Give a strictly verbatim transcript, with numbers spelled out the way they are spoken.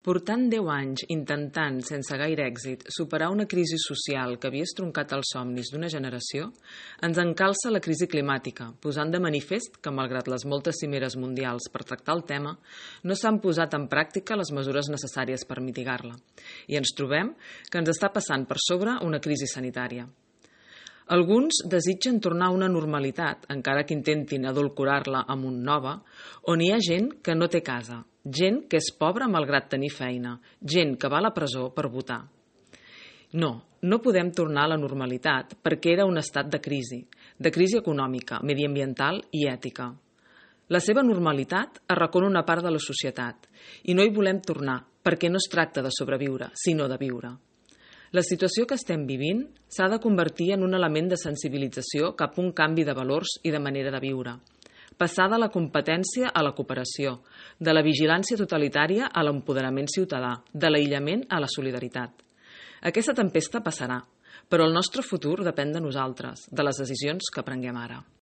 Portant deu anys intentant, sense gaire èxit, superar una crisi social que havia estroncat els somnis d'una generació, ens encalça la crisi climàtica, posant de manifest que, malgrat les moltes cimeres mundials per tractar el tema, no s'han posat en pràctica les mesures necessàries per mitigar-la. I ens trobem que ens està passant per sobre una crisi sanitària. Alguns desitgen tornar a una normalitat, encara que intentin adulcorar-la amb un nova, on hi ha gent que no té casa, gent que és pobra malgrat tenir feina, gent que va a la presó per votar. No, no podem tornar a la normalitat perquè era un estat de crisi, de crisi econòmica, mediambiental i ètica. La seva normalitat arracona una part de la societat i no hi volem tornar perquè no es tracta de sobreviure, sinó de viure. La situació que estem vivint s'ha de convertir en un element de sensibilització cap a un canvi de valors i de manera de viure. Passar de la competència a la cooperació, de la vigilància totalitària a l'empoderament ciutadà, de l'aïllament a la solidaritat. Aquesta tempesta passarà, però el nostre futur depèn de nosaltres, de les decisions que prenguem ara.